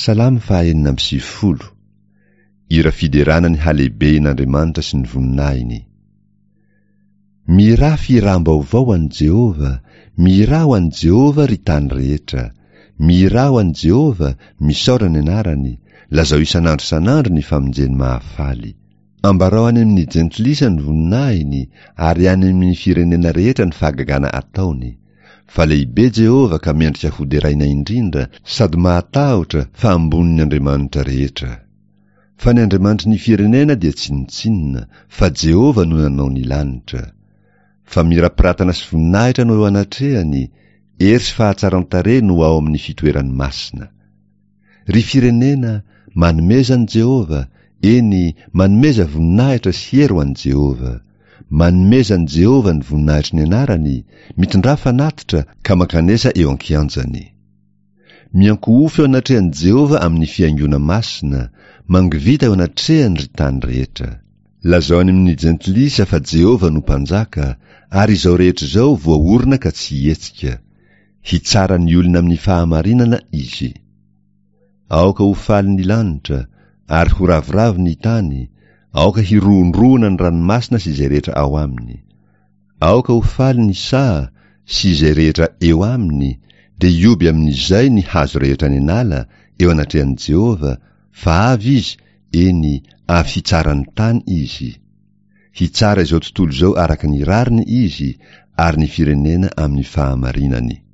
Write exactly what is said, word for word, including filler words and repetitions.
Salamo fahaenina amby sivifolo. Hira fiderana ny halehibehin'Andriamanitra sy ny voninahiny. Mihirà fihiram-baovao ho an'i Jehovah, mihirà ho an'i Jehovah, ry tany rehetra. Mihirà ho an'i Jehovah, misaora ny anarany, lazao isan'andro isan'andro ny famonjeny mahafaly. Ambarao any amin'ny jentilisa ny voninahiny, ary any amin'ny firenena rehetra ny fahagagana ataony. Fa lehibe Jehovah ka mendrika hoderaina indrindra, sady mahatahotra fa ambonin'ny andriamanitra rehetra. Fa ny andriamanitry ny firenena dia tsinontsinona, fa Jehovah no nanao ny lanitra. Fa mirapiratana sy voninahitra no eo anatrehany, hery sy fahatsaran-tarehy no ao amin'ny fitoerany masina. Ry firenena, manomeza an'i Jehovah, eny, manomeza voninahitra sy hery ho an'i Jehovah. Manomeza an'i Jehovah ny voninahitry ny anarany, mitondrà fanatitra ka mankanesa eo an-kianjany. Miankohofy eo anatrehan'i Jehovah amin'ny fihaingoana masina, mangovita eo anatrehany ry tany rehetra. Lazao any amin'ny jentilisa fa Jehovah no mpanjaka, ary izao rehetra izao voaorina ka tsy hihetsika. Hitsara ny olona amin'ny fahamarinana Izy. Aoka ho faly ny lanitra, ary ho ravoravo ny tany, aoka hirohondrohona ny ranomasina sy izay rehetra ao aminy. Aoka ho faly ny saha sy izay rehetra eo aminy, dia hioby amin'izay ny hazo rehetra any an'ala eo anatrehan'i Jehovah, fa avy Izy, eny, avy hitsara ny tany Izy. Hitsara izao tontolo izao araka ny rariny Izy, ary ny firenena amin'ny fahamarinany.